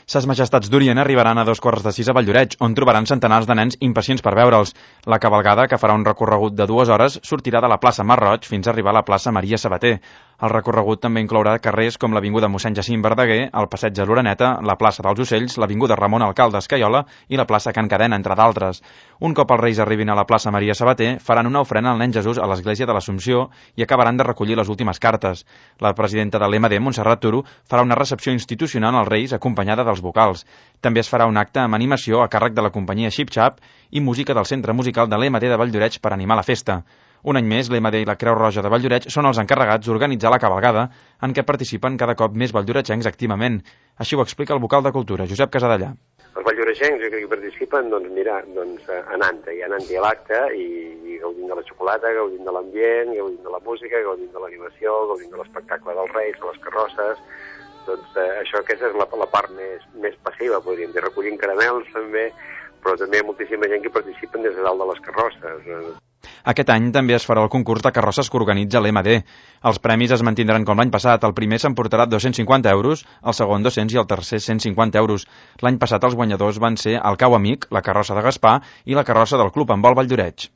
Ses Majestats d'Orient arribaran a 2:15 a Valldoreix, on trobaran centenars de nens impacients per veure'ls. La cavalgada, que farà un recorregut de 2 hores, sortirà de la plaça Mar Roig fins a arribar a la plaça Maria Sabater. El recorregut també inclourà carrers com l'avinguda Mossèn Jacint Verdaguer, el passeig de l'Oreneta, la plaça dels Ocells, l'avinguda Ramon Alcalde Escaiola i la plaça Can Cadena, entre d'altres. Un cop els Reis arribin a la plaça Maria Sabater, faran una ofrena al nen Jesús a l'església de l'Assumpció i acabaran de recollir les últimes cartes. La presidenta de l'MD, Montserrat Turo, farà una recepció institucional als Reis acompanyada dels vocals. També es farà un acte amb animació a càrrec de la companyia Xip Xap i música del Centre Musical de l'MD de Valldoreix per animar la festa. Un any més, l'MD i la Creu Roja de Valldoreix són els encarregats d'organitzar la cavalgada, en què participen cada cop més valldoreixencs activament. Així ho explica el vocal de Cultura, Josep Casadellà. Els valldoreixencs que hi participen, anant-hi a l'acte i gaudint de la xocolata, gaudint de l'ambient, gaudint de la música, gaudint de l'animació, gaudint de l'espectacle dels Reis, de les carrosses. Aquesta és la part més passiva, podríem dir, recollint caramels també, però també hi ha moltíssima gent que participen des de dalt de les carrosses. Aquest any també es farà el concurs de carrosses que organitza l'MD. Els premis es mantindran com l'any passat. El primer s'emportarà 250 euros, el segon 200 i el tercer 150 euros. L'any passat els guanyadors van ser el Cau Amic, la carrossa de Gaspar i la carrossa del Club Handbol Valldoreix.